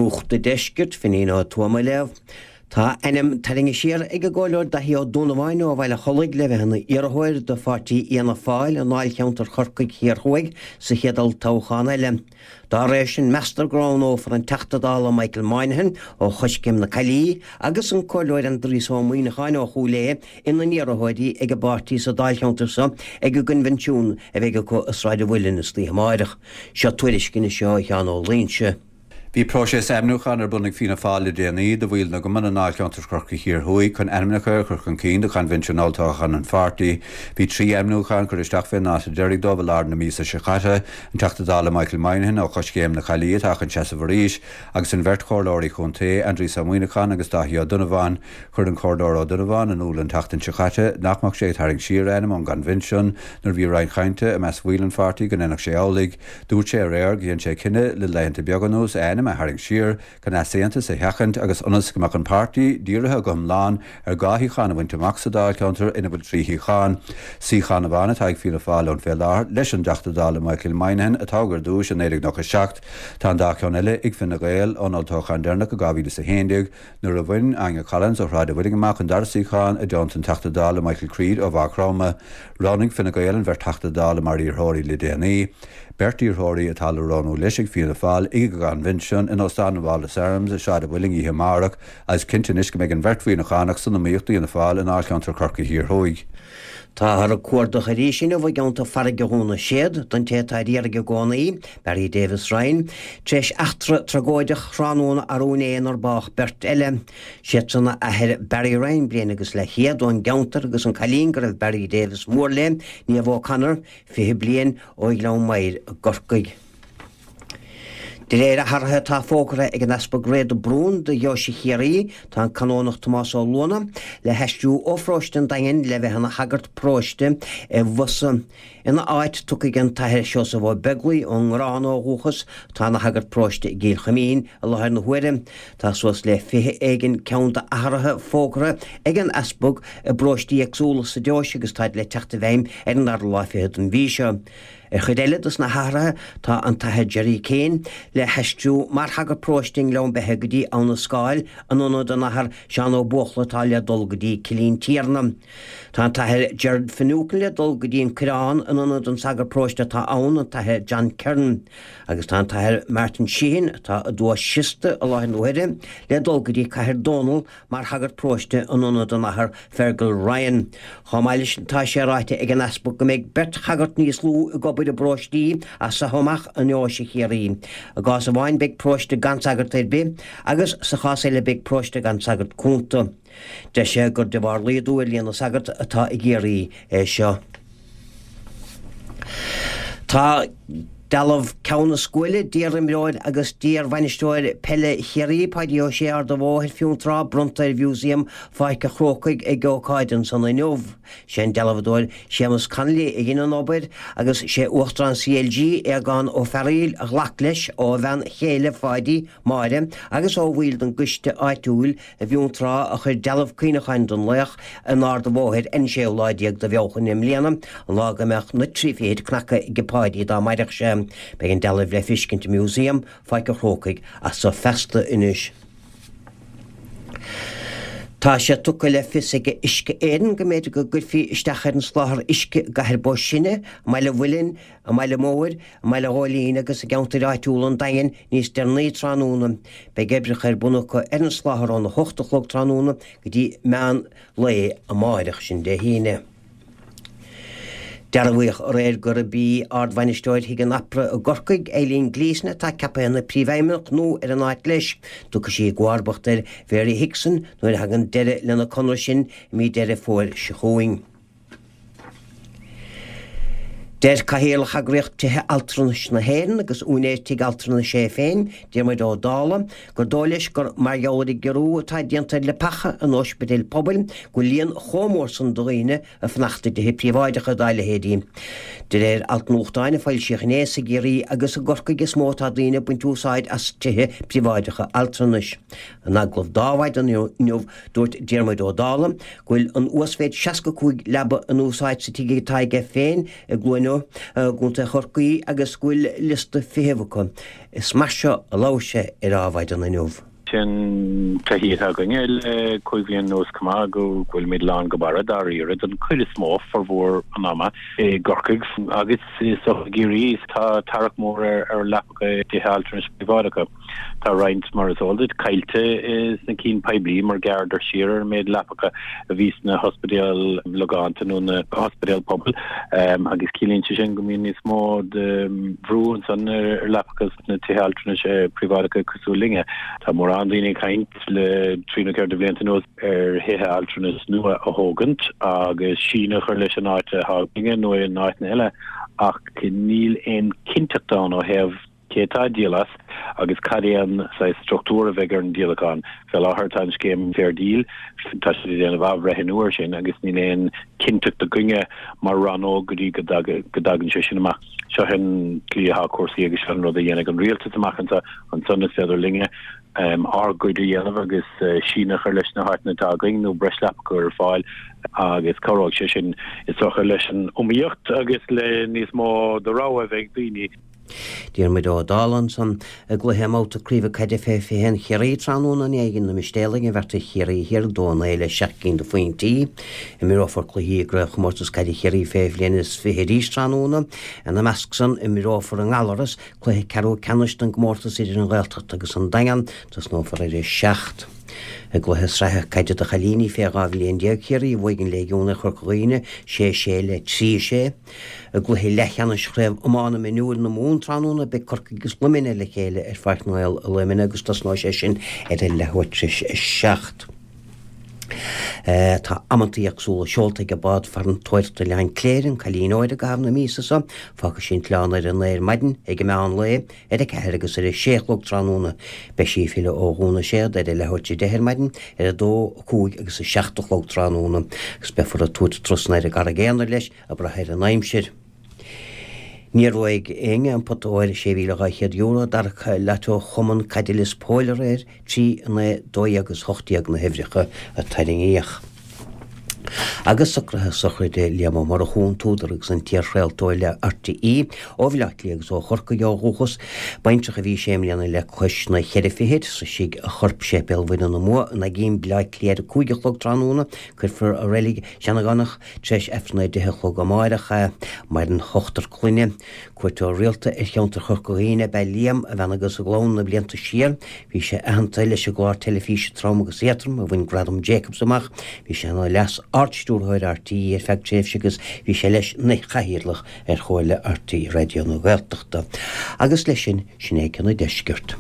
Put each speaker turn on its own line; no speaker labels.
Nuacht an Deiscirt, Finín Ó Tuama á léamh. Tá a ainm tarraingthe siar ag an gComhairleoir Daithí Ó Donnabháin ó Bhaile Chollaigh le bheith ina iarrthóir do pháirtí Fhianna Fáil i ndáilcheantar Chorcaigh Thiar Thuaidh sa chéad olltoghchán eile. Dá réir sin, meastar go roghnófar an Teachta Dála Michael Moynihan ó Choiscéim na Caillí agus an Comhairleoir Aindrias Ó Muimhneacháin ó Chúil Aodha ina n-iarrthóirí ag an bpáirtí sa dáilcheantar seo ag an gcoinbhinsiún a bheidh acu i Sráid an Mhuilinn istoíche amáireach. Seo tuairisc anois ó Sheán Ó Loingsigh.
Bhí próiseas ainmniúcháin ar bun ag Fianna Fáil le déanaí do bhaill na gcumann i ndáilcheantar Chorcaí Thiar Thuaidh chun ainmneacha a chur chun cinn do choinbhinsiún olltoghcháin an pháirtí. Bhí 3 ainmniúchán curtha isteach fén ndáta deiridh dóibh i lár na míosa seo caite, an Teachta Dála Michael Moynihan ó Choiscéim na Caillí atá chun seasamh arís, agus an bheirt chomhairleoirí chontae, Aindrias Ó Muimhneacháin agus Dáithí Ó Donnabháin. Chuir an Comhairleoir Ó Donnabháin in iúl an tseachtain seo caite nach mbeadh sé ag tarraingt siar a ainm ón gcoinbhinsiún nuair a bhí roinnt chainte i measc bhaill an pháirtí go ndéanfadh sé amhlaidh. Dúirt sé aréir gur dhein sé cinneadh le laethanta beaga anuas a ainm a tharraingt siar chun easaontas a sheachaint agus ionas go mbeadh an páirtí dírithe go hiomlán ar 2 shuíochán a bhaint amach sa dáilcheantar ina bhfuil 3 shuíochán. Suíochán amháin atá ag Fianna Fáil ann fé láthair leis an dTeachta Dála Michael Moynihan a toghadh ar dtúis i 1997. Tá an dá cheann eile ag Fine Gael ón olltoghchán deireanach i 2011 nuair a bhain Áine Collins ó Shráid an Mhuilinn amach an dara suíochán i dteannta an Teachta Dála Michael Creed ó Mhaigh Chromtha. Roghnaigh Fine Gael an bheirt Teachta Dála mar iarrthóirí le déanaí. Beirt iarrthóirí atá le roghnú leis ag Fianna Fáil ag a gcoinbhinsiún in Óstán an Wallace Arms i Sráid an Mhuilinn oíche amárach agus cinnte anois go mbeidh an bheirt Mhuimhneachánach san iomaíocht d'Fhianna Fáil i ndáilcheantar Chorcaí Thiar Thuaidh.
Táthar ag cuardach arís inniu i gceantar Farraige Dhún na Séad don té atá ar iarraidh i gcónaí, Barry Davis Ryan, tar éis eachtra tragóideach thráthnóna arú inné inar bádh beirt eile. Siadsan a athair Barry Ryan, bliain agus leathchéad, ón gceantar agus an cailín go raibh Barry Davis mór léi, Niamh O'Connor, 20 bliain, ó Ghleann Maghair i gCorcaigh. De réir athruithe atá fógartha ag an Easpag Ray de Brún do Dheoise Chiarraí, tá an Canónach Tomás Ó Luana le haistriú ó pharóiste an Daingin le bheith ina shagart paróiste i bhFosadh. Ina áit, tiocfaidh an tAthair Seosamh Ó Beaglaoi ón nGarrán ó dhúchas, atá ina shagart paróiste i gCill Chuimín i láthair na huaire. Tá suas le 20 éigin ceann d'athruithe fógartha ag an Easpag i bparóistí éagsúla sa deoise agus táid le teacht i bhfeidhm ar an dara lá fichead den mhí seo. Ar chuid eile dos na hathruithe tá an tAthair Gerry Kane le haistriú mar shagart paróiste i nGleann Beithe go dtí Abha na Scáil in ionad an Athar Seán Ó Buachalla atá le dul go dtí Cillín Tiarna. Tá an tAthair Gerard Finucane le dul go dtí an Coireán in ionad an sagart paróiste atá ann, an tAthair John Kern. Agus tá an tAthair Martin Sheehan, atá i dTuath Siosta i láthair na huaire, le dul go dtí Cathair Dónall mar shagart paróiste in ionad an Athar Fergal Ryan. Chomh maith leis sin tá sé ráite ag an Easpag go mbeidh beirt shagart níos lú ag obair i bparóistí as seo amach i nDeoise Chiarraí. I gcás amháin beidh paróiste gan sagart ar bith agus sa chás eile beidh paróiste gan sagart cúnta. Deir sé gur de bharr laghdú ar líon na sagart atá i gCiarraí é seo. Tá dealbh Ceann na Scuaile d'iar-imreoir agus d'iar-bhainisteoir peile Chiarraí, Páidí Ó Sé, Ard an Bhóthair, Fionntrá, bronnta ar Mhúsaem Pháirc an Chrócaigh ag ócáid ansan inniu. Sé an dealbhadóir Séamus Connolly a dhein an obair agus sé Uachtarán CLG, Aogán Ó Fearghaíl, a ghlac leis ó a bhean chéile Pháidí, Máire, agus ó bhaill den gcoiste áitiúil i bhFionntrá a chuir dealbh cuimhneacháin don laoch in Ard an Bhóthair ar an séú lá déag de Bhealtaine i mbliana, an lá go mbeadh na trí fichid cnagtha ag Páidí dá mairfeadh sé. Beidh an dealbh le feiscint i Músaem Pháirc an Chrócaigh as so feasta anois. Tá sé tugtha le fios ag Uisce Éireann go mb'fhéidir go gcuirfí isteach ar an soláthar uisce i gCathair Bó Sine, i mBaile Mhuilinn, i mBaile Móir, i mBaile Ghóilín agus i gceantair áitiúla an Daingin níos deireanaí tráthnóna. Beidh oibreacha ar bun acu ar an soláthar óna hocht a chlog tráthnóna go dtí meán lae amáireach, sin Dé hAoine. Dearbhaíodh aréir gurb í Ard-Bhainisteoir Thigh an Opera i gCorcaigh, Eileen Gleeson, atá ceaptha ina Príomhfheidhmeannach nua ar an áit leis. Tiocfaidh sí i gcomharbacht ar Mhary Hickson nuair a thagann deireadh lena conradh sin i mí Deireadh Fómhair seo chugainn. Deir Cathaoirleach Eagraíocht Tithe Altranais na hÉireann agus úinéir tigh altranais é féin, Diarmuid Ó Dálaigh, gur dóigh leis gur mar gheall ar an gciorrú atá déanta ar leapacha in ospidéil pobail go bhfuil líon chomh mór san de dhaoine ag fanacht i dtithe príobháideacha dá leithéidí. De réir alt nuachtáin a foilsíodh inné, is i gCiarraí agus i gCorcaigh is mó atá daoine ag baint úsáid as tithe príobháideacha altranais. In agallamh d'Adhmhaidin inniu dúirt Diarmuid Ó Dálaigh go bhfuil an uasmhéid 65 leaba in úsáid sa tigh atá aige féin i gCluain. inniu i gContae Chorcaí agus go bhfuil liosta feithimh acu. Is mar seo a labhair sé ar Adhmhaidin inniu.
Sin taithí atá againne le 5 bhliain anuas chomh maith go bhfuilimid lán go barra dáiríre den chuid is mó, formhór an ama, i gCorcaigh agus i gCiarraí. Tá tarrac mór ar leapacha i dtithe altranais príobháideacha. Tá roinnt, mar is eol duit, caillte sna cinn poiblí mar ghearradar siar ar an méid leapacha a bhí sna hospidéil logánta nó na hospidéil pobail agus ciallaíonn sé sin go mbíonn níos mó de bhrú ansan ar leapacha sna tithe altranais príobháideacha cosúil linne. Tá mórán daoine ag caint le trí nó ceithre de bhlianta anuas ar thithe altranais nua a thógaint agus síneadh a chur leis an áit atá againne nó in áiteanna eile ach níl aon chinnteacht ann ó thaobh cé atá ag díol as agus cad é an saghas struchtúr a bheidh ar an díolachán. Fé láthair tá an scéim Fair Deal, tá siad ag déanamh athbhreithniú air sin agus níl aon chinnteacht againne mar rannóg go dtí go dtagann sé sin amach. Seo an tslí atá cúrsaí agus seo an rud a dhéanfaidh an rialtas amach anseo, ansan is féidir linne ár gcuid a dhéanamh agus síneadh a chur leis na háiteanna atá againn nó breis leapacha a chur ar fáil agus cabhróidh sé sin is dócha leis an iomaíocht agus le níos mó de rogha a bheith ag daoine.
Diarmuid Ó Dálaigh ansan i gcluiche i mbabhta craoibhe caide fé 21 Chiarraí tráthnóna inné dhein na Mistéalaigh an bheart ar Chiarraí Thiar 2 9 le 7 gcinn de phointí. Imreofar cluichí i gCraobhchomórtas Caide Chiarraí fé bhliain is 20 arís tráthnóna. Ina measc san imreofar i nGallaras cluiche ceathrú ceannais den gcomórtas idir an Ghaeltacht agus an Daingean. Tosnófar ar a 7. I gcluiche sraithe caide do chailíní fé 12 bhliain Chiarraí bhuaigh an Léigiún ar Chorca Dhuibhne 6 6 le 3 6. I gcluiche leathcheannais Chraobh Iomána Mionúir na Mumhan tráthnóna beidh Corcaigh agus Luimneach le chéile ar Pháirc na nGael i Luimneach agus tosnóidh sé sin ar a leathuair tar éis a 7. Tá amantaí éagsúla seolta ag an bád farantóireachta Oileán Cléire, An Cailín Óir i gcaitheamh na míosa seo. Fágfaidh sí an t-oileán ar a 9 ar maidin, ag an meán lae, ar a 4 agus ar a 6 a chlog tráthnóna. Beidh sí ag filleadh ó Dhún na Séad ar a leathuair tar 10 ar maidin, ar a 2, 5 agus a 7 a chlog tráthnóna agus beifear ag tabhairt turasanna ar an gCarraig Aonair leis ag brath ar an aimsir. Níor bhuaigh éinne an pota óir €6,200 a d'amharc Lotto Chumann Caide Lios Póil aréir, 3, 9, 12 agus 18 na huimhreacha a tarraingíodh. Agus socruithe sochraide Liam Ó Murchú, an t-údar agus an t-iarchraoltóir le RTÉ, ó Bhaile Átha Cliath agus ó Chorcaigh ó dhúchas, baintreach a bhí sé mbliana le cois na cheithre fichid, Sroisfidh a chorp Séipéal Mhuire na mBua in Aiguín, Baile Átha Cliath ar a 5 a chlog tráthnóna. Cuirfear i Reilig Sheanagánach tar éis Aifreann a 10 a chlog amáireach é. Maireann ochtar clainne. Cuairteoir rialta ar cheantar Chorca Dhuibhne ab ea Liam, a bhean agus a gclann na blianta siar. Bhí sé aitheanta leis an gclár teilifíse Trom agus Éadrom a bhain Gradam Jacobs amach. Bhí sé ina Leas-Ard-Stiúrthóir RTÉ ar feadh tréimhse agus bhí sé leis ina Chathaoirleach ar Chomhairle RTÉ Raidió na Gaeltachta. Agus leis sin, sin é Ceann an Deiscirt.